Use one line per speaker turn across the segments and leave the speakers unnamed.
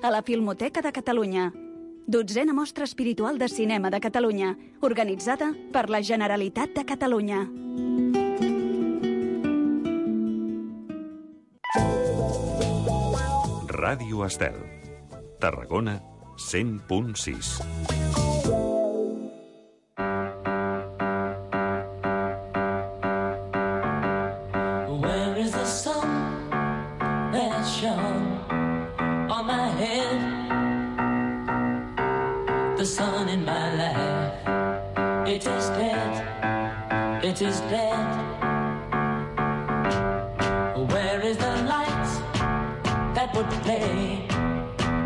a la Filmoteca de Catalunya. 12a Mostra Espiritual de Cinema de Catalunya, organitzada per la Generalitat de Catalunya.
Ràdio Estel, Tarragona 100.6.
Where is the sun that shone on my head? The sun in my life, it is dead, it is dead. Where is the light that would play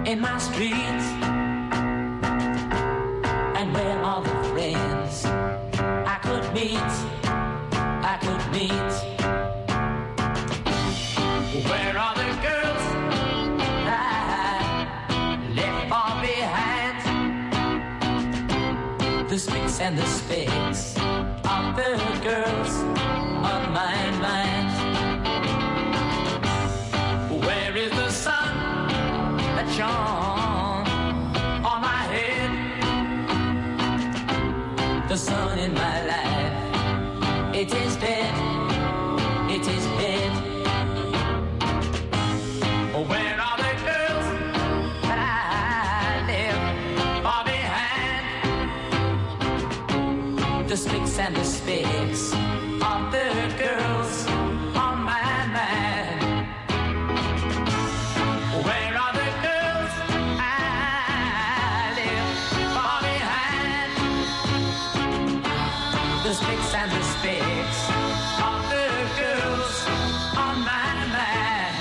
in my streets? And where are the friends I could meet, I could meet? Where are the girls I left far behind? The sticks and the spades of the girls on my mind. Where is the sun that shone on my head? The sun in my life, it is dead, it is dead. Where are the girls that I left far behind? The sticks and the spades of the girls on my mind. Where are the girls I left far behind? The sticks and the spades of the girls on my mind.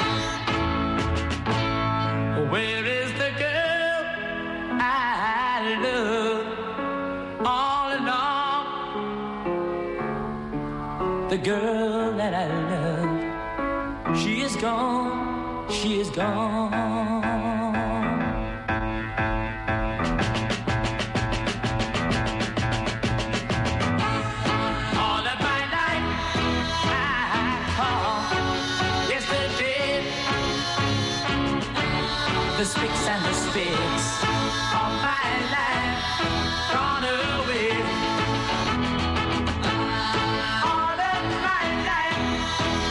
Where is the girl I love all along? The girl that I love, she is gone, she is gone. All of my life I call yesterday. The sticks and the spades of my life gone away. All of my life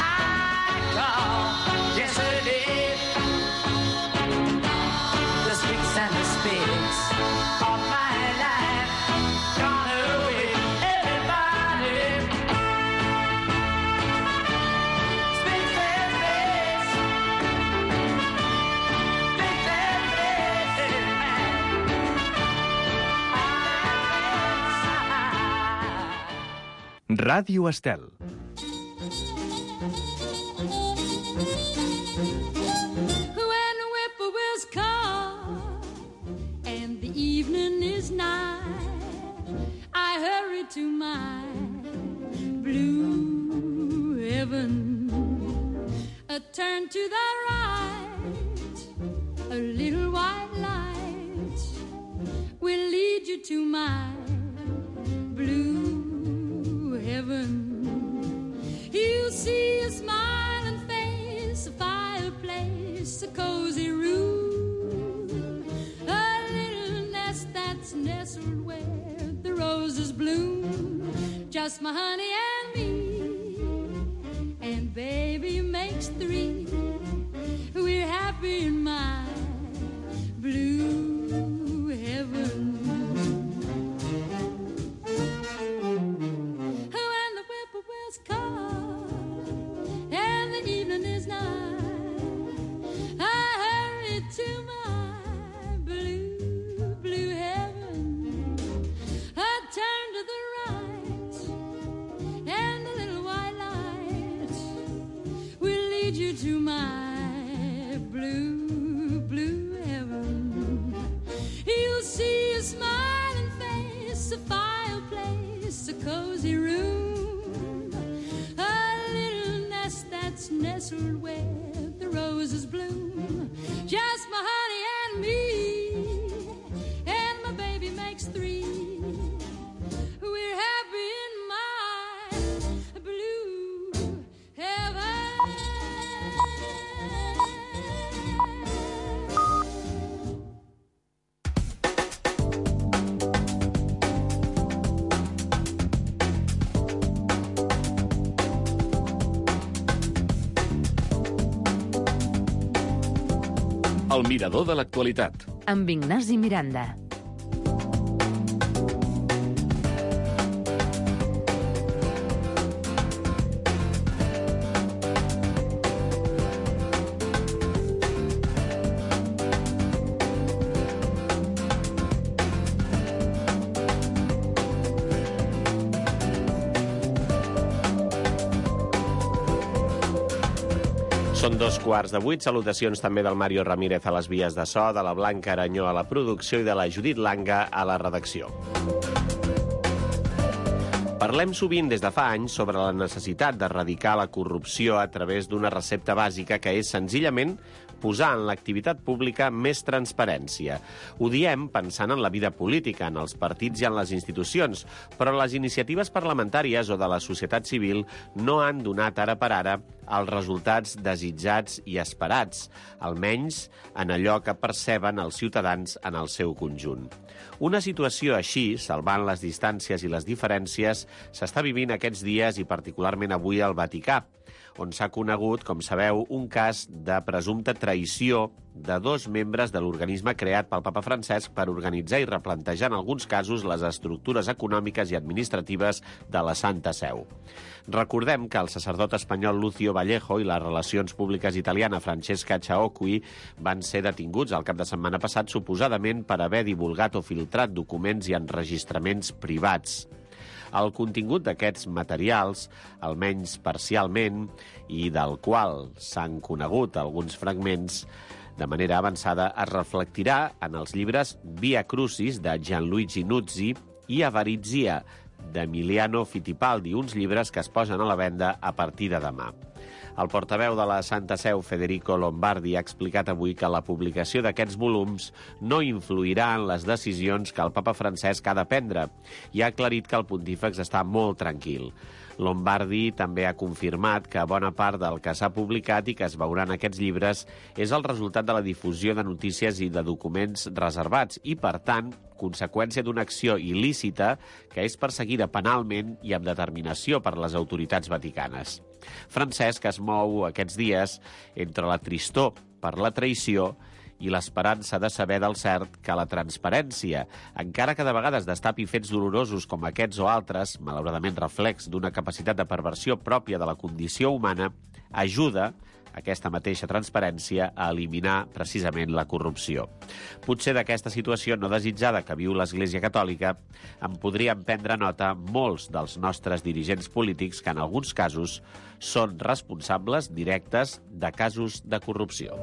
I call yesterday. The sticks and the spades of my life gone away. Everybody, sticks and spades, sticks and spades,
Ràdio Estel.
When the whippoorwills call and the evening is nigh, I hurry to my blue heaven. A turn to the right, a little white light will lead you to my blue heaven. You'll see a smiling face, a fireplace, a cozy room, a little nest that's nestled where the roses bloom. Just my honey and me, and baby makes three. We're happy in my blue heaven. When the whippoorwills call and the evening is nigh, I hurry to my blue, blue heaven. I turn to the right, and the little white light will lead you to my blue, blue heaven. You'll see a smiling face, a fireplace, a cozy room, a little nest that's nestled where the roses bloom. Just my honey and me, and my baby makes three. We're happy in my blue heaven.
El mirador de l'actualitat.
Amb Ignasi Miranda.
Són 7:15. Salutacions també del Mario Ramírez a les vies de so, de la Blanca Aranyó a la producció i de la Judit Langa a la redacció. Parlem sovint des de fa anys sobre la necessitat d'erradicar la corrupció a través d'una recepta bàsica que és senzillament posar en l'activitat pública més transparència. Ho diem pensant en la vida política, en els partits i en les institucions, però les iniciatives parlamentàries o de la societat civil no han donat ara per ara els resultats desitjats i esperats, almenys en allò que perceben els ciutadans en el seu conjunt. Una situació així, salvant les distàncies i les diferències, s'està vivint aquests dies i particularment avui al Vaticà, on s'ha conegut, com sabeu, un cas de presumpta traïció de 2 membres de l'organisme creat pel papa Francesc per organitzar i replantejar en alguns casos les estructures econòmiques i administratives de la Santa Seu. Recordem que el sacerdot espanyol Lucio Vallejo i les relacions públiques italiana Francesca Ciaocchi van ser detinguts el cap de setmana passat suposadament per haver divulgat o filtrat documents i enregistraments privats. El contingut d'aquests materials, almenys parcialment, i del qual s'han conegut alguns fragments de manera avançada, es reflectirà en els llibres Via Crucis, de Gianluigi Nuzzi, i Avarizia, d'Emiliano Fittipaldi, uns llibres que es posen a la venda a partir de demà. El portaveu de la Santa Seu, Federico Lombardi, ha explicat avui que la publicació d'aquests volums no influirà en les decisions que el papa Francesc ha de prendre i ha aclarit que el pontífex està molt tranquil. Lombardi també ha confirmat que bona part del que s'ha publicat i que es veurà en aquests llibres és el resultat de la difusió de notícies i de documents reservats i, per tant, conseqüència d'una acció il·lícita que és perseguida penalment i amb determinació per les autoritats vaticanes. Francesc es mou aquests dies entre la tristor per la traïció i l'esperança de saber del cert que la transparència, encara que de vegades destapi fets dolorosos com aquests o altres, malauradament reflex d'una capacitat de perversió pròpia de la condició humana, ajuda aquesta mateixa transparència a eliminar precisament la corrupció. Potser d'aquesta situació no desitjada que viu l'Església Catòlica en podrien prendre nota molts dels nostres dirigents polítics que en alguns casos són responsables directes de casos de corrupció.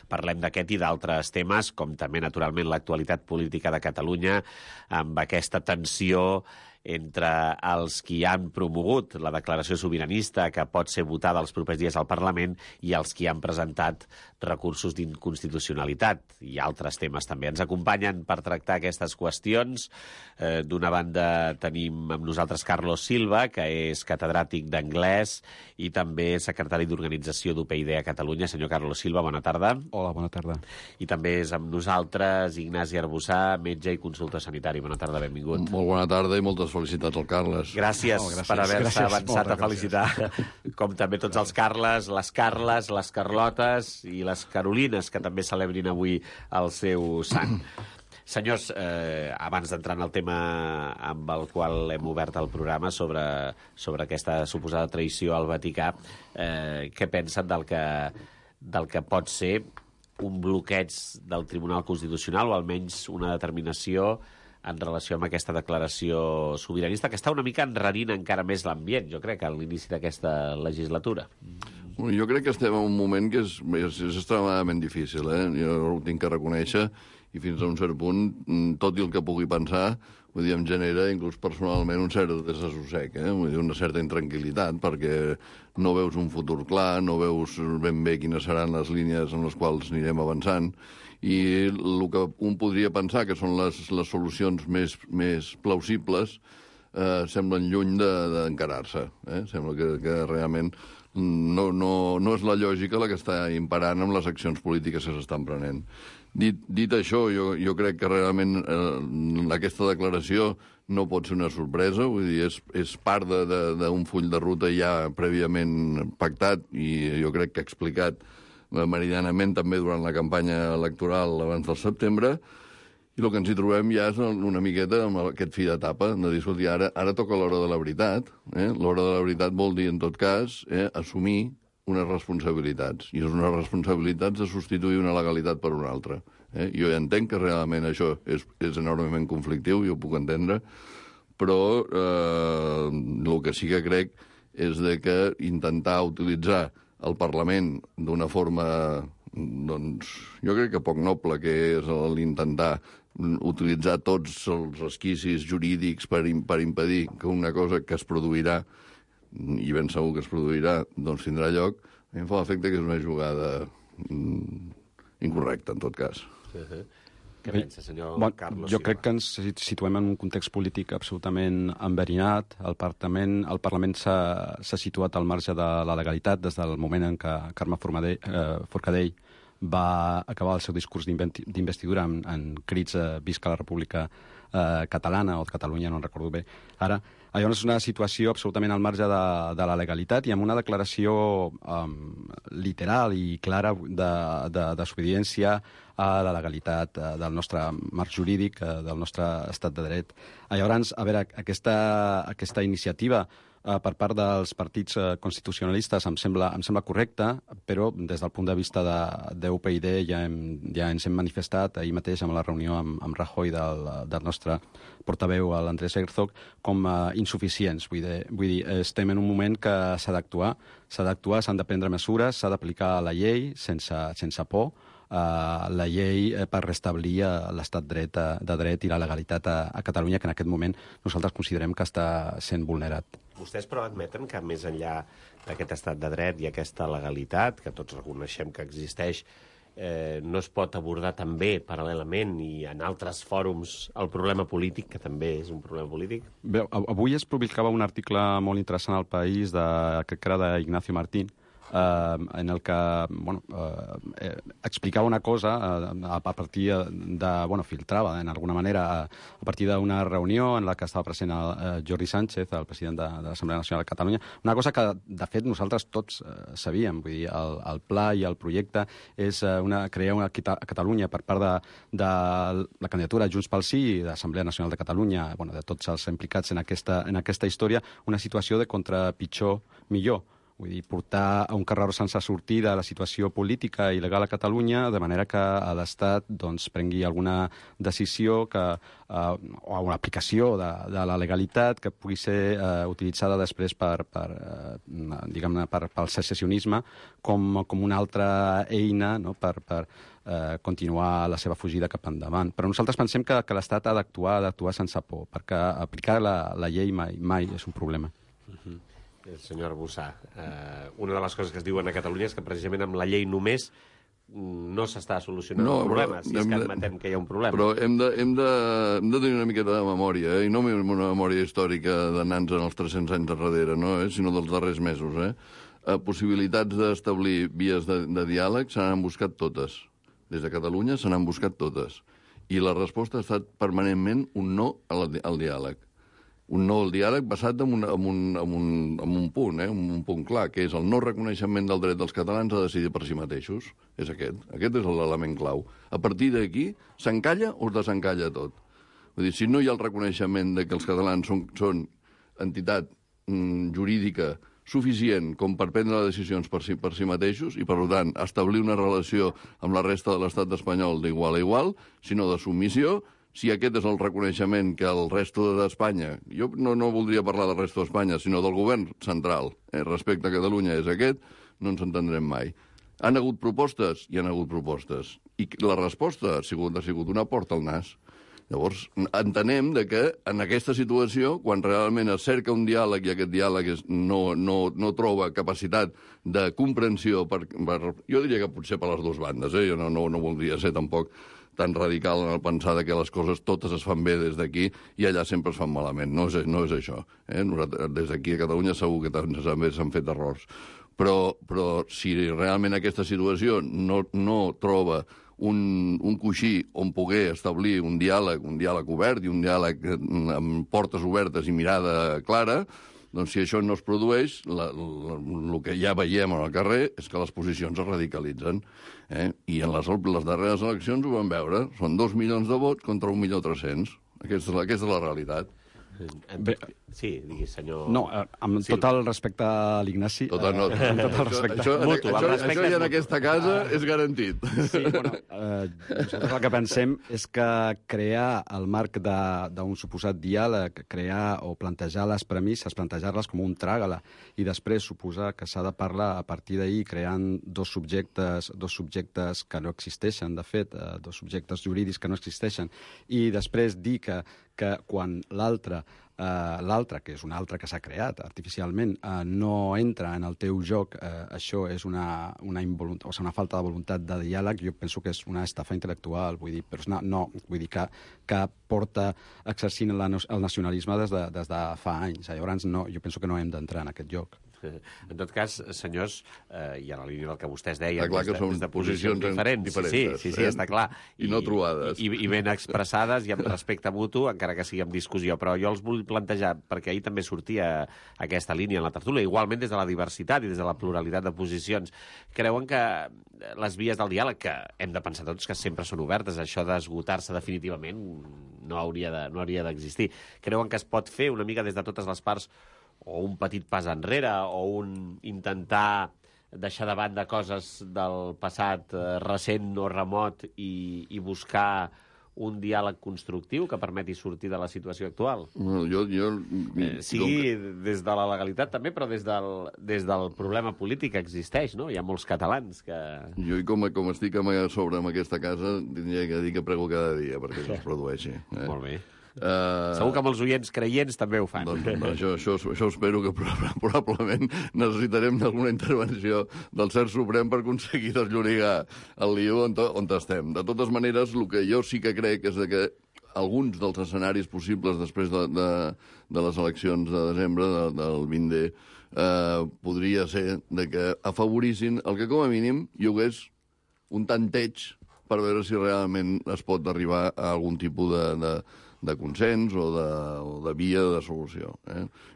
Parlem d'aquest i d'altres temes, com també, naturalment, l'actualitat política de Catalunya, amb aquesta tensió entre els qui han promogut la declaració sobiranista que pot ser votada els propers dies al Parlament i els qui han presentat recursos d'inconstitucionalitat i altres temes també. Ens acompanyen per tractar aquestes qüestions. D'una banda tenim amb nosaltres Carlos Silva, que és catedràtic d'anglès i també secretari d'organització d'UPyD a Catalunya. Senyor Carlos Silva, bona tarda.
Hola, bona tarda.
I també és amb nosaltres Ignasi Arbussà, metge i consultor sanitari. Bona tarda, benvingut.
Molt bona tarda i moltes felicitats al Carles.
Gràcies per haver-se avançat a felicitar, com també tots els Carles, les Carles, les Carlotes i les Carolines, que també celebrin avui el seu sant. Senyors, abans d'entrar en el tema amb el qual hem obert el programa sobre aquesta suposada traïció al Vaticà, què pensen del que pot ser un bloqueig del Tribunal Constitucional o almenys una determinació en relació amb aquesta declaració sobiranista que està una mica enrarint encara més l'ambient, jo crec, a l'inici d'aquesta legislatura?
Jo crec que estem en un moment que és extremadament difícil, Jo ho tinc que reconèixer i fins a un cert punt, tot i el que pugui pensar, vull dir, em genera inclús personalment un cert desassossec, Vull dir, una certa intranquil·litat, perquè no veus un futur clar, no veus ben bé quines seran les línies en les quals anirem avançant, i el que un podria pensar que són les solucions més plausibles semblen lluny d'encarar-se. Sembla que realment no és la lògica la que està imperant amb les accions polítiques que s'estan prenent. Dit això, jo crec que realment aquesta declaració no pot ser una sorpresa, vull dir, és part d'un full de ruta ja prèviament pactat i jo crec que explicat meridianament també durant la campanya electoral abans del setembre, i el que ens hi trobem ja és una miqueta amb aquest fi d'etapa, de dir, escolti, ara toca l'hora de la veritat. L'hora de la veritat vol dir, en tot cas, assumir unes responsabilitats, i és unes responsabilitats de substituir una legalitat per una altra. Jo ja entenc que realment això és enormement conflictiu, jo ho puc entendre, però el que sí que crec és de que intentar utilitzar el Parlament d'una forma, doncs, jo crec que poc noble, que és l'intentar utilitzar tots els resquicis jurídics per impedir que una cosa que es produirà, i ben segur que es produirà, doncs tindrà lloc, a mi em fa l'efecte que és una jugada incorrecta, en tot cas.
Què pensa, senyor Carlos?
Jo crec que ens situem en un context polític absolutament enverinat. El Parlament s'ha situat al marge de la legalitat des del moment en què Carme Forcadell va acabar el seu discurs d'investidura en crits visca la República Catalana o de Catalunya, no en recordo bé ara. Llavors és una situació absolutament al marge de la legalitat i amb una declaració literal i clara de desobediència a la legalitat del nostre marc jurídic, del nostre estat de dret. Llavors, a veure, aquesta iniciativa per part dels partits constitucionalistes em sembla correcta, però des del punt de vista d'UPyD ja ens hem manifestat ahir mateix amb la reunió amb Rajoy del nostre portaveu, l'Andrés Herzog, com insuficients. Vull dir, estem en un moment que s'ha d'actuar, s'han de prendre mesures, s'ha d'aplicar la llei sense por, la llei per restablir l'estat de dret i la legalitat a Catalunya, que en aquest moment nosaltres considerem que està sent vulnerat.
Vostès però admeten que més enllà d'aquest estat de dret i aquesta legalitat, que tots reconeixem que existeix, no es pot abordar també paral·lelament i en altres fòrums el problema polític, que també és un problema polític?
Bé, avui es publicava un article molt interessant al País, que era d'Ignacio Martín, en el que explicava una cosa a partir filtrava en alguna manera a partir d'una reunió en la que estava present el Jordi Sánchez, el president de l'Assemblea Nacional de Catalunya, una cosa que de fet nosaltres tots sabíem, vull dir, el pla i el projecte és crear a Catalunya per part de la candidatura Junts pel Sí i de l'Assemblea Nacional de Catalunya, de tots els implicats en aquesta història, una situació de contra pitjor millor. Vull dir, portar a un carreró sense sortida la situació política i legal a Catalunya, de manera que l'Estat prengui alguna decisió o una aplicació de la legalitat que pugui ser utilitzada després pel secessionisme com una altra eina per continuar la seva fugida cap endavant. Però nosaltres pensem que l'Estat ha d'actuar sense por, perquè aplicar la llei mai és un problema.
Senyor Arbussà, una de les coses que es diuen a Catalunya és que precisament amb la llei només no s'està solucionant el problema, si és que admetem que hi ha un problema.
Però hem de tenir una miqueta de memòria, i no una memòria històrica d'anar-nos en els 300 anys darrere, sinó dels darrers mesos. Possibilitats d'establir vies de diàleg se n'han buscat totes. Des de Catalunya se n'han buscat totes. I la resposta ha estat permanentment un no al diàleg. Un no al diàleg basat en un punt, un punt clar, que és el no reconeixement del dret dels catalans a decidir per si mateixos. És aquest. Aquest és l'element clau. A partir d'aquí, s'encalla o es desencalla tot? Vull dir, si no hi ha el reconeixement de que els catalans són entitat jurídica suficient com per prendre decisions per si mateixos i, per tant, establir una relació amb la resta de l'estat espanyol d'igual a igual, sinó de submissió, si aquest és el reconeixement que el resto d'Espanya, jo no voldria parlar del resto d'Espanya, sinó del govern central respecte a Catalunya és aquest, no ens entendrem mai. Han hagut propostes? Hi han hagut propostes. I la resposta ha sigut una porta al nas. Llavors, entenem que en aquesta situació, quan realment es cerca un diàleg i aquest diàleg no troba capacitat de comprensió, jo diria que potser per les dues bandes, jo no voldria ser tampoc tan radical en el pensar que les coses totes es fan bé des d'aquí i allà sempre es fan malament. No és això. Des d'aquí a Catalunya segur que també s'han fet errors. Però si realment aquesta situació no troba un coixí on poder establir un diàleg obert i un diàleg amb portes obertes i mirada clara, doncs si això no es produeix, el que ja veiem al carrer és que les posicions es radicalitzen. I en les darreres eleccions ho vam veure. Són 2 milions de vots contra 1.300.000. Aquesta és la realitat.
Sí, diguis, senyor...
No, amb tot el respecte a l'Ignasi...
Tot el respecte. Això ja en aquesta casa és garantit.
Sí, bueno, nosaltres el que pensem és que crear el marc d'un suposat diàleg, crear o plantejar les premisses, plantejar-les com un tràgala, i després suposar que s'ha de parlar a partir d'ahir creant dos subjectes que no existeixen, de fet, dos subjectes jurídics que no existeixen, i després dir que quan l'altre, que és un altre que s'ha creat artificialment, no entra en el teu joc, això és una falta de voluntat de diàleg. Jo penso que és una estafa intel·lectual, vull dir, però no, vull dir que porta exercint el nacionalisme des de fa anys. Llavors, no, jo penso que no hem d'entrar en aquest joc.
En tot cas, senyors, i a la línia del que vostès deien...
Està clar que són posicions diferents.
Sí, està clar.
I no trobades.
I ben expressades i amb respecte mutu, encara que sigui en discussió. Però jo els vull plantejar, perquè ahir també sortia aquesta línia en la tertúlia, igualment des de la diversitat i des de la pluralitat de posicions. Creuen que les vies del diàleg, que hem de pensar tots que sempre són obertes, això d'esgotar-se definitivament no hauria d'existir. Creuen que es pot fer una mica des de totes les parts, o un petit pas enrere, o un intentar deixar de banda coses del passat recent o remot i buscar un diàleg constructiu que permeti sortir de la situació actual? Sigui des de la legalitat també, però des del problema polític que existeix, no? Hi ha molts catalans que...
Jo, com estic a sobre amb aquesta casa, tindria que dir que prego cada dia perquè això es produeixi.
Molt bé. Segur que amb els oients creients també ho fan.
Doncs això espero que probablement necessitarem d'alguna intervenció del CERT Suprem per aconseguir desllorigar el lío on estem. De totes maneres, el que jo sí que crec és que alguns dels escenaris possibles després de les eleccions de desembre del 20D podria ser que afavorissin el que com a mínim hi hagués un tanteig per veure si realment es pot arribar a algun tipus de consens o de via de solució.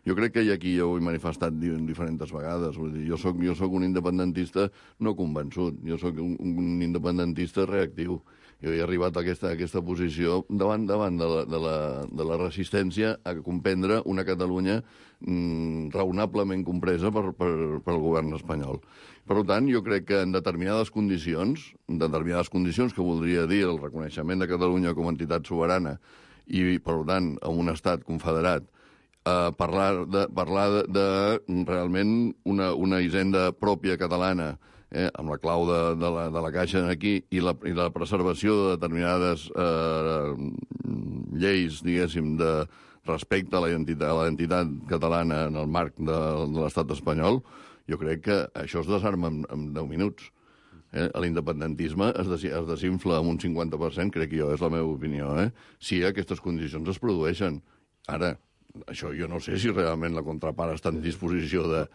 Jo crec que aquí ja ho he manifestat diferents vegades. Vull dir, jo soc un independentista no convençut, jo soc un independentista reactiu. Jo he arribat a aquesta posició davant de la resistència a comprendre una Catalunya raonablement compresa pel govern espanyol. Per tant, jo crec que en determinades condicions que voldria dir el reconeixement de Catalunya com a entitat soberana i, per tant, amb un estat confederat, parlar de realment una hisenda pròpia catalana, amb la clau de la Caixa aquí i la preservació de determinades lleis, diguéssim, de respecte a la identitat catalana en el marc de l'estat espanyol, jo crec que això es desarma en 10 minuts. L'independentisme es desinfla amb un 50%, crec jo, és la meva opinió, si aquestes condicions es produeixen. Ara, això jo no sé si realment la contrapart està en disposició de...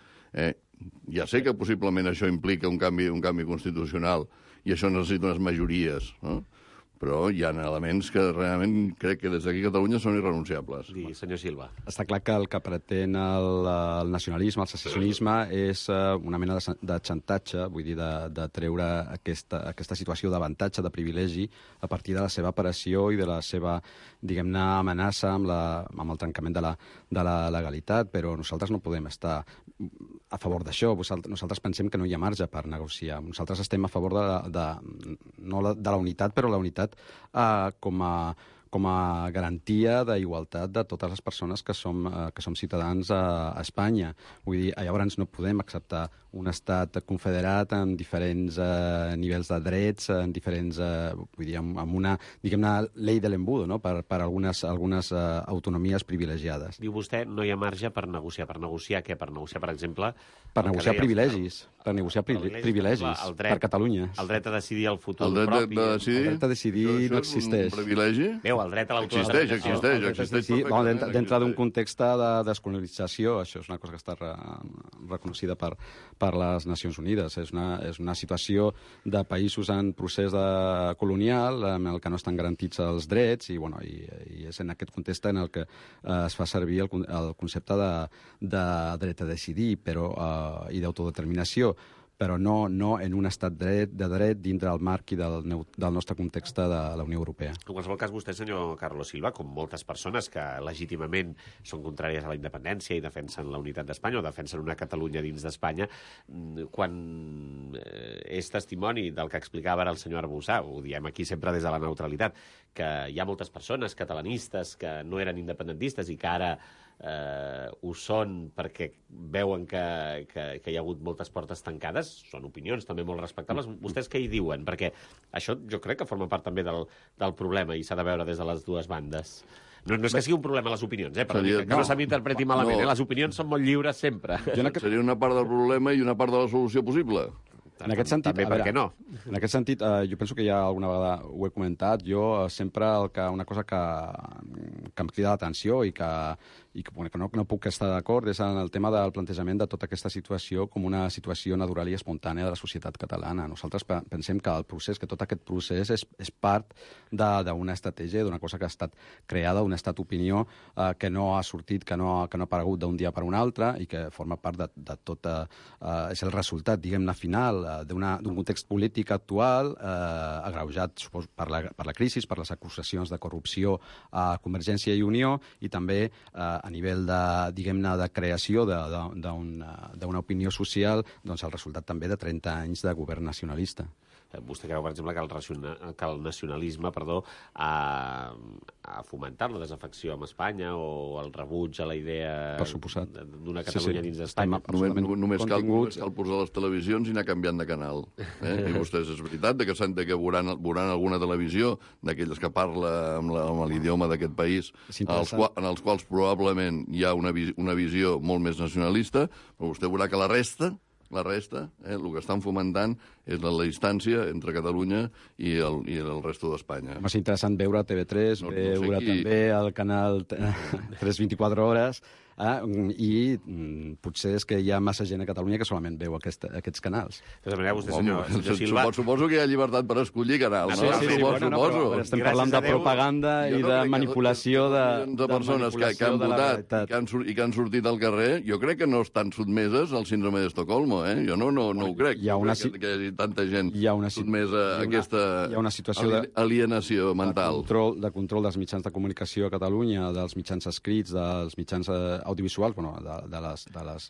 Ja sé que possiblement això implica un canvi constitucional i això necessita unes majories, no? Però hi ha elements que realment crec que des d'aquí a Catalunya són irrenunciables.
Sí, senyor Silva.
Està clar que el que pretén el nacionalisme, el secessionisme, és una mena de xantatge, vull dir, de treure aquesta situació d'avantatge, de privilegi, a partir de la seva aparició i de la seva, diguem-ne, amenaça amb el trencament de la legalitat, però nosaltres no podem estar a favor d'això. Nosaltres pensem que no hi ha marge per negociar. Nosaltres estem a favor no de la unitat, però la unitat com a garantia d'igualtat de totes les persones que som ciutadans a Espanya. Vull dir, llavors no podem acceptar un estat confederat amb diferents nivells de drets, vull dir, amb una, diguem-ne, llei de l'embudo, no? per algunes autonomies privilegiades.
Diu vostè, no hi ha marge per negociar. Per negociar què? Per negociar, per exemple...
Per negociar privilegis. per negociar privilegis per Catalunya.
El dret a decidir el futur
El dret
propi.
de decidir...
El dret a decidir
això
no
és
existeix.
un privilegi?
Veu, el dret a l'autodeterminació.
Existeix
Sí,
perfectament.
dintre d'un context de descolonització, això és una cosa que està reconeixida per les Nacions Unides. És una situació de països en procés colonial en el que no estan garantits els drets i és en aquest context en el que es fa servir el concepte de dret a decidir i d'autodeterminació, però no en un estat de dret dintre el marc i del nostre context de la Unió Europea.
En qualsevol cas, vostè, senyor Carlos Silva, com moltes persones que legítimament són contràries a la independència i defensen la unitat d'Espanya o defensen una Catalunya dins d'Espanya, quan és testimoni del que explicava ara el senyor Arbussà, ho diem aquí sempre des de la neutralitat, que hi ha moltes persones catalanistes que no eren independentistes i que ara ho són perquè veuen que hi ha hagut moltes portes tancades, són opinions també molt respectables. Vostès què hi diuen? Perquè això jo crec que forma part també del problema i s'ha de veure des de les dues bandes. No és que sigui un problema les opinions, que no se m'interpreti malament. Les opinions són molt lliures sempre.
Seria una part del problema i una part de la solució possible.
En aquest sentit,
també, per què no?
En aquest sentit, jo penso que ja alguna vegada ho he comentat, jo sempre una cosa que em crida l'atenció i que no puc estar d'acord és en el tema del plantejament de tota aquesta situació com una situació natural i espontània de la societat catalana. Nosaltres pensem que tot aquest procés és part d'una estratègia, d'una cosa que ha estat creada, un estat d'opinió que no ha sortit, que no ha aparegut d'un dia per un altre i que forma part de tot... És el resultat, diguem-ne, final d'un context polític actual agreujat, suposo, per la crisi, per les acusacions de corrupció a Convergència i Unió i també a nivell de creació d'una opinió social, doncs el resultat també de 30 anys de govern nacionalista.
Vostè creu, per exemple, que el nacionalisme ha fomentat la desafecció amb Espanya o el rebuig a la idea d'una Catalunya dins d'Espanya?
Només cal posar les televisions i anar canviant de canal. I vostès, és veritat que veuran alguna televisió d'aquelles que parla amb l'idioma d'aquest país, en els quals probablement hi ha una visió molt més nacionalista, però vostè veurà que la resta, el que estan fomentant és la distància entre Catalunya i el resto d'Espanya.
És interessant veure TV3, veure també el canal 324 hores, i potser és que hi ha massa gent a Catalunya que solament veu aquests canals.
De tota manera, vostè, senyor Silva...
Suposo que hi ha llibertat per escollir canals, no?
Suposo. Estem parlant de propaganda i de manipulació
de persones que han votat i que han sortit al carrer, jo crec que no estan sotmeses al síndrome d'Estocolmo, Jo no ho crec. Que hi hagi tanta gent sotmesa a aquesta alienació mental.
De control dels mitjans de comunicació a Catalunya, dels mitjans escrits, dels mitjans audiovisuals, de les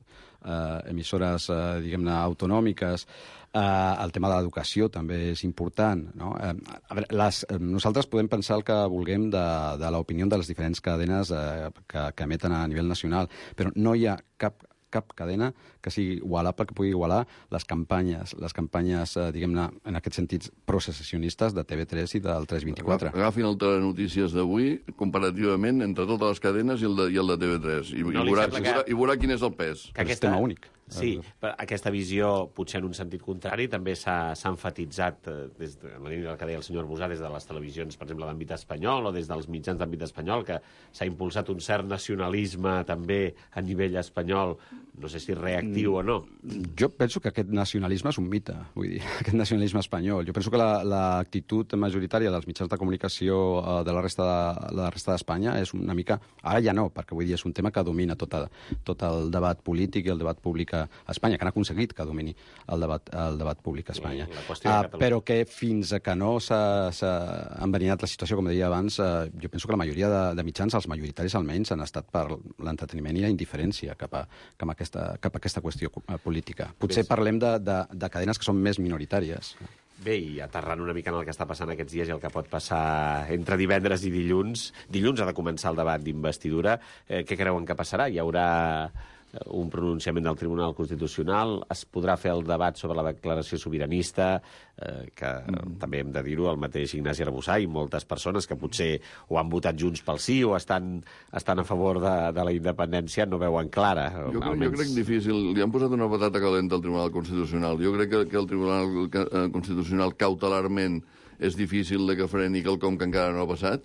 emissores, diguem-ne, autonòmiques. El tema de l'educació també és important. No? Nosaltres podem pensar el que vulguem de l'opinió de les diferents cadenes que emeten a nivell nacional, però no hi ha cap cadena que sigui igualable, que pugui igualar les campanyes, diguem-ne, en aquest sentit, prosecessionistes de TV3 i del 324.
Agafin el Telenotícies d'avui, comparativament entre totes les cadenes i el de TV3, i veurà quin és el pes.
És tema únic.
Sí, aquesta visió, potser en un sentit contrari, també s'ha emfatitzat, en la línia del que deia el senyor Arbussà, des de les televisions, per exemple, d'àmbit espanyol, o des dels mitjans d'àmbit espanyol, que s'ha impulsat un cert nacionalisme també a nivell espanyol, no sé si reactiu o no.
Jo penso que aquest nacionalisme és un mite, vull dir, aquest nacionalisme espanyol. Jo penso que l'actitud majoritària dels mitjans de comunicació de la resta d'Espanya és una mica... Ara ja no, perquè vull dir, és un tema que domina tot el debat polític i el debat públic a Espanya, que han aconseguit que domini el debat públic a Espanya. Però que fins a que no s'ha enverinat la situació, com deia abans, jo penso que la majoria de mitjans, els majoritaris almenys, han estat per l'entreteniment i la indiferència cap a aquesta qüestió política. Potser parlem de cadenes que són més minoritàries.
Bé, i aterrant una mica en el que està passant aquests dies i el que pot passar entre divendres i dilluns ha de començar el debat d'investidura. Què creuen que passarà? Hi haurà un pronunciament del Tribunal Constitucional, es podrà fer el debat sobre la declaració sobiranista, que també hem de dir-ho, el mateix Ignasi Arbussà i moltes persones que potser ho han votat Junts pel Sí o estan a favor de la independència no veuen clara.
Jo crec difícil. Li han posat una patata calenta al Tribunal Constitucional. Jo crec que el Tribunal Constitucional cautelarment és difícil de que freni quelcom que encara no ha passat,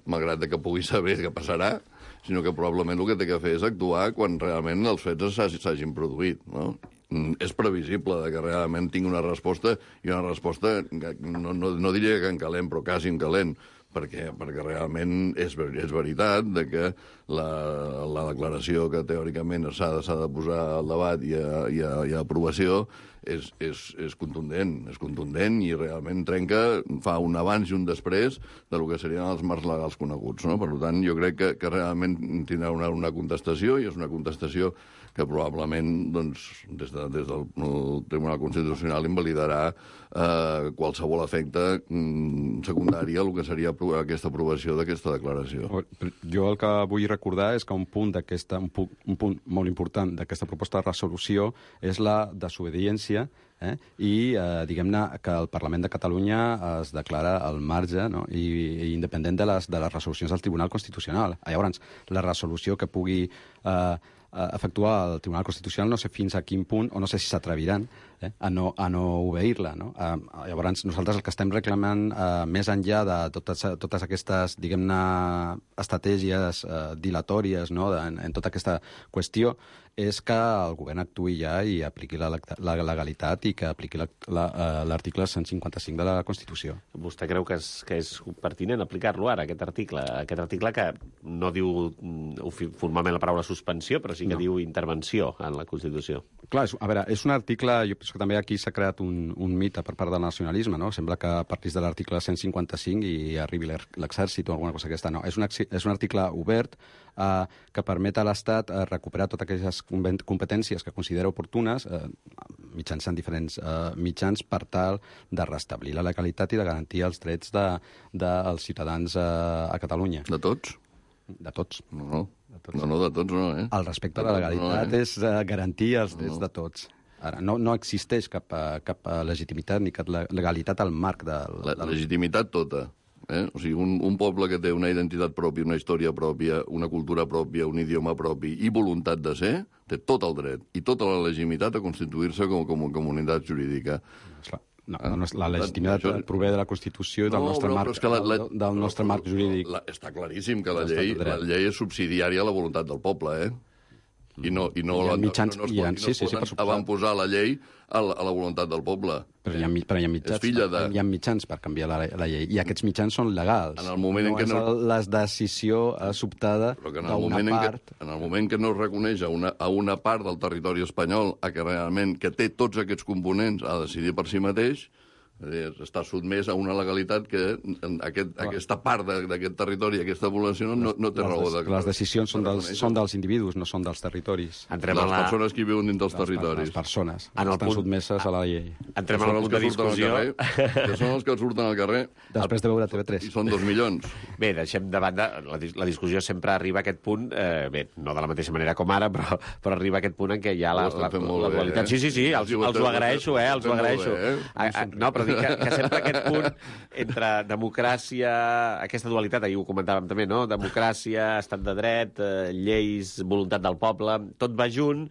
malgrat que pugui saber què passarà, sinó que probablement el que té que fer és actuar quan realment els fets s'hagin produït, no? És previsible que realment tingui una resposta, i una resposta, no diria que en calent, però quasi en calent, perquè realment és veritat que la declaració que teòricament s'ha de posar al debat i a aprovació és contundent i realment trenca, fa un abans i un després del que serien els marcs legals coneguts, no? Per tant, jo crec que realment tindrà una contestació, i és una contestació que probablement des del Tribunal Constitucional invalidarà qualsevol efecte secundari a el que seria aquesta aprovació d'aquesta declaració.
Jo el que vull recordar és que un punt molt important d'aquesta proposta de resolució és la desobediència i, diguem-ne, que el Parlament de Catalunya es declara al marge, no? I independent de les resolucions del Tribunal Constitucional. Llavors, la resolució que pugui efectuar el Tribunal Constitucional no sé fins a quin punt, o no sé si s'atreviran a no obeir-la, no? Llavors, nosaltres el que estem reclamant, més enllà de totes aquestes, diguem-ne, estratègies dilatòries, no?, en tota aquesta qüestió, és que el govern actuï ja i apliqui la legalitat i que apliqui l'article 155 de la Constitució.
Vostè creu que és pertinent aplicar-lo ara, aquest article que no diu formalment la paraula suspensió, però sí que diu intervenció en la Constitució?
Clar, a veure, és un article, jo penso que també aquí s'ha creat un mite per part del nacionalisme, no? Sembla que partís de l'article 155 i arribi l'exèrcit o alguna cosa d'aquesta. No, és un article obert que permet a l'Estat recuperar totes aquelles competències que considera oportunes mitjançant diferents mitjans per tal de restablir la legalitat i de garantir els drets dels ciutadans a Catalunya.
De tots?
De tots.
No, de tots no,
El respecte a la legalitat és garantir els drets de tots. Ara, no existeix cap legitimitat ni cap legalitat al marc de...
La legitimitat tota. O sigui, un poble que té una identitat pròpia, una història pròpia, una cultura pròpia, un idioma propi i voluntat de ser, té tot el dret i tota la legitimitat a constituir-se com a comunitat jurídica.
La legitimitat prové de la Constitució i del nostre marc jurídic.
Està claríssim que la llei és subsidiària a la voluntat del poble, I no es van posar la llei a la voluntat del poble.
Però hi ha mitjans per canviar la llei, i aquests mitjans són legals.
En el moment en què
no és la decisió sobtada d'una part.
En el moment que no es reconeix a una part del territori espanyol que realment que té tots aquests components a decidir per si mateix, està sotmès a una legalitat que aquesta part d'aquest territori, aquesta població, no té raó de...
Les decisions són dels individus, no són dels territoris.
Les persones que viuen dins dels territoris.
Les persones estan sotmeses a la llei.
Entrem al punt de discussió.
Que són els que surten al carrer.
Després de veure TV3.
I són 2 milions.
Bé, deixem de banda... La discussió sempre arriba a aquest punt, bé, no de la mateixa manera com ara, però arriba a aquest punt en què hi ha la dualitat. Sí, els ho agraeixo, els ho agraeixo. No, però dic que sempre aquest punt entre democràcia, aquesta dualitat, ahir ho comentàvem també, no? Democràcia, estat de dret, lleis, voluntat del poble, tot va junt,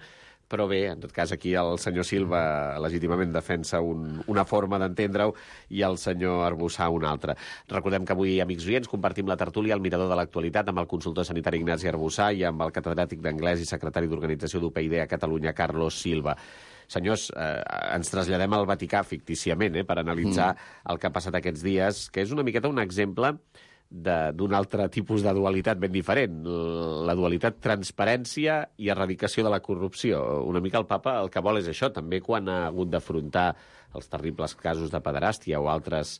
però bé, en tot cas, aquí el senyor Silva legítimament defensa una forma d'entendre-ho i el senyor Arbussà una altra. Recordem que avui, amics oients, compartim la tertúlia al Mirador de l'Actualitat amb el consultor sanitari Ignasi Arbussà i amb el catedràtic d'anglès i secretari d'Organització d'UPyD a Catalunya, Carlos Silva. Senyors, ens traslladem al Vaticà fictíciament per analitzar el que ha passat aquests dies, que és una miqueta un exemple d'un altre tipus de dualitat ben diferent, la dualitat transparència i erradicació de la corrupció. Una mica el papa el que vol és això, també quan ha hagut d'afrontar els terribles casos de pederàstia o altres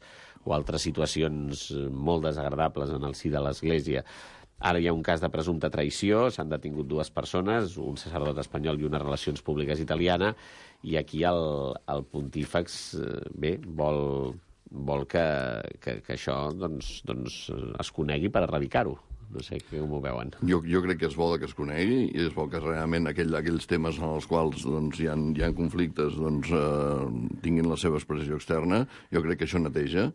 situacions molt desagradables en el si de l'Església. Ara hi ha un cas de presumpta traïció, s'han detingut 2 persones, un sacerdot espanyol i una relacions públiques italiana, i aquí el pontífex vol que això es conegui per erradicar-ho. No sé com ho veuen.
Jo crec que és bo que es conegui i és bo que realment aquells temes en els quals doncs, hi ha conflictes doncs, tinguin la seva expressió externa. Jo crec que això neteja,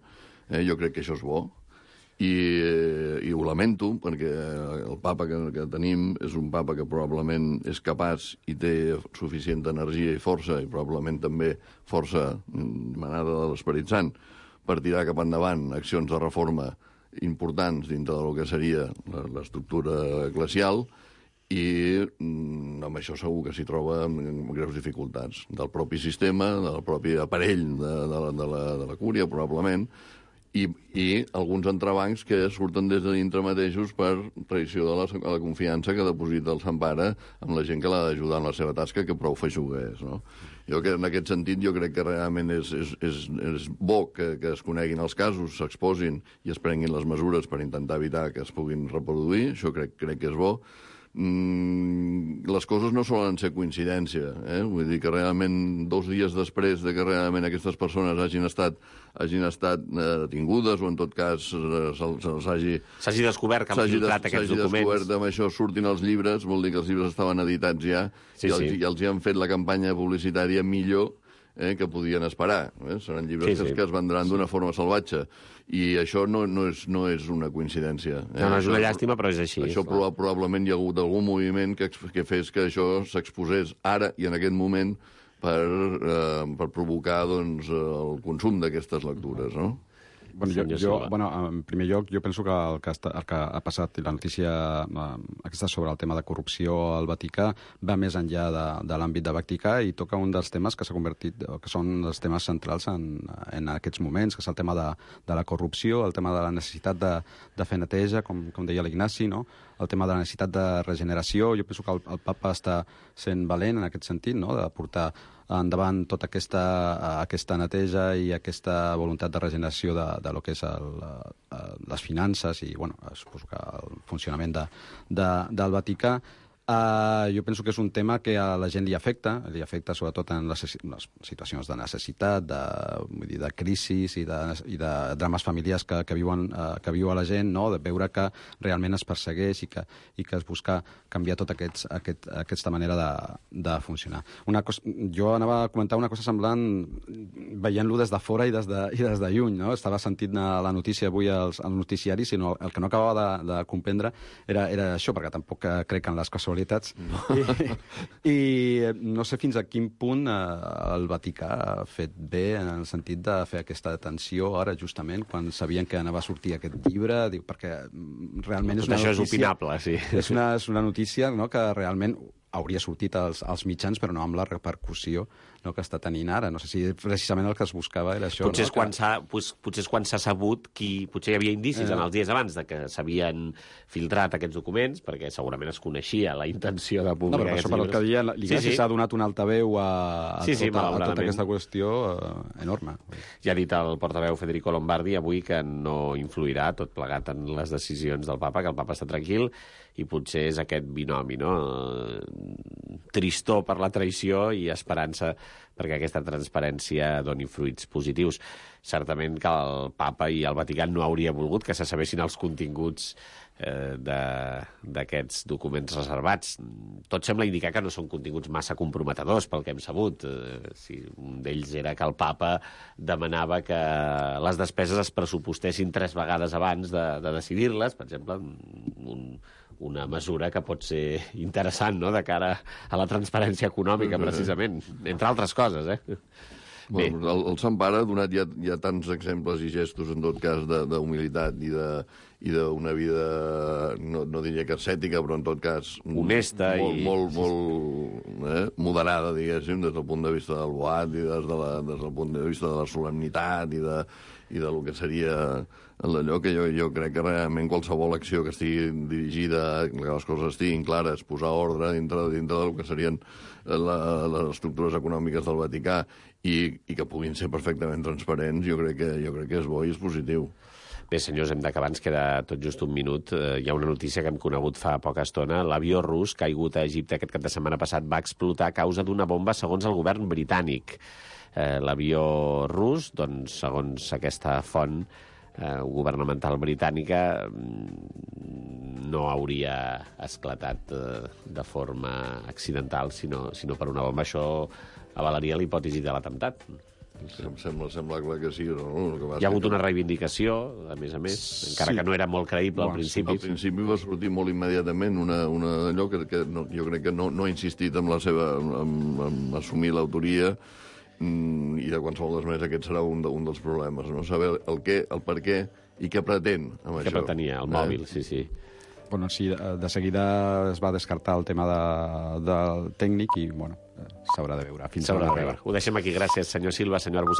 jo crec que això és bo. I ho lamento, perquè el papa que tenim és un papa que probablement és capaç i té suficient energia i força, i probablement també força manada de l'Esperit Sant, per tirar cap endavant accions de reforma importants dintre del que seria l'estructura eclesial, i amb això segur que s'hi troba amb greus dificultats del propi sistema, del propi aparell de la cúria, probablement, i alguns entrebancs que surten des de dintre mateixos per traïció de la confiança que deposita el Sant Pare amb la gent que l'ha d'ajudar en la seva tasca, que prou feixuga és, no? Jo que en aquest sentit jo crec que realment és bo que es coneguin els casos, s'exposin i es prenguin les mesures per intentar evitar que es puguin reproduir, això crec que és bo. Les coses no solen ser coincidència, vull dir que realment 2 dies després de que realment aquestes persones hagin estat detingudes o en tot cas
s'hagi descobert que han filtrat aquests documents.
S'hagi descobert amb això surtin els llibres, vol dir que els llibres estaven editats ja i els hi han fet la campanya publicitària millor que podien esperar. Seran llibres que es vendran d'una forma salvatge. I això no és una coincidència.
No, és una llàstima, però és així.
Això probablement hi ha hagut algun moviment que fes que això s'exposés ara i en aquest moment per provocar doncs, el consum d'aquestes lectures, no?
En primer lloc, jo penso que el que ha passat i la notícia aquesta sobre el tema de corrupció al Vaticà va més enllà de l'àmbit de Vaticà i toca un dels temes que s'ha convertit, que són els temes centrals en aquests moments, que és el tema de la corrupció, el tema de la necessitat de fer neteja, com deia l'Ignasi, no? El tema de la necessitat de regeneració. Jo penso que el papa està sent valent en aquest sentit, no? De portar endavant tota aquesta neteja i aquesta voluntat de regeneració de lo que és les finances i, suposo que el funcionament del Vaticà. Jo penso que és un tema que a la gent li afecta sobretot en les situacions de necessitat, de crisi i de drames familiars que viu la gent, no? De veure que realment es persegueix i que es busca canviar tota aquesta manera de funcionar. Jo anava a comentar una cosa semblant veient-lo des de fora i des de lluny, no? Estava sentint la notícia avui als noticiaris, sinó el que no acabava de comprendre era això, perquè tampoc crec en les casualitats. No. I no sé fins a quin punt el Vaticà ha fet bé en el sentit de fer aquesta detenció ara, justament, quan sabien que anava a sortir aquest llibre, perquè realment és una notícia...
Això és opinable, sí.
És una notícia, no?, que realment hauria sortit als mitjans, però no amb la repercussió, no, que està tenint ara. No sé si precisament el que es buscava era això.
Potser és quan s'ha sabut potser hi havia indicis en els dies abans de que s'havien filtrat aquests documents, perquè segurament es coneixia la intenció de publicar aquests llibres. No, però per el que deia, l'Ignasi s'ha donat un altaveu a tota aquesta qüestió enorme. Ja ha dit el portaveu Federico Lombardi avui que no influirà tot plegat en les decisions del papa, que el papa està tranquil, i potser és aquest binomi, no? Tristor per la traïció i esperança perquè aquesta transparència doni fruits positius. Certament que el papa i el Vaticà no hauria volgut que se sabessin els continguts d'aquests documents reservats. Tot sembla indicar que no són continguts massa comprometedors, pel que hem sabut. Un d'ells era que el papa demanava que les despeses es pressupostessin 3 vegades abans de decidir-les, per exemple, una mesura que pot ser interessant, no?, de cara a la transparència econòmica, precisament, entre altres coses,
Bueno, el Sant Pare ha donat ja tants exemples i gestos, en tot cas, d'humilitat i d'una vida, no diria que ascètica, però en tot cas...
honesta
molt moderada, diguéssim, des del punt de vista del boat i des del punt de vista de la solemnitat i del que seria allò que jo crec que realment qualsevol acció que estigui dirigida, que les coses estiguin clares, posar ordre dintre del que serien les estructures econòmiques del Vaticà i que puguin ser perfectament transparents, jo crec que és bo i és positiu.
Bé, senyors, hem d'acabar, ens queda tot just un minut. Hi ha una notícia que hem conegut fa poca estona. L'avió rus caigut a Egipte aquest cap de setmana passat va explotar a causa d'una bomba, segons el govern britànic. L'avió rus, doncs, segons aquesta font, governamental britànica no hauria esclatat de forma accidental, sinó per una bomba. Això avalaria la hipòtesi de l'atemptat.
Em sembla clar que sí. No?
Hi ha hagut una reivindicació, a més, encara que no era molt creïble al principi.
Al principi va sortir molt immediatament allò que jo crec que no ha insistit en la seva en assumir l'autoria, i de qualsevol de les maneres aquest serà un dels problemes, no? Saber el què, el per què i què pretén amb això.
Què pretenia, el mòbil, sí.
Bueno, sí, de seguida es va descartar el tema del tècnic i, bueno, s'haurà de veure.
S'haurà de veure. Ho deixem aquí. Gràcies, senyor Silva, senyor Arbusat.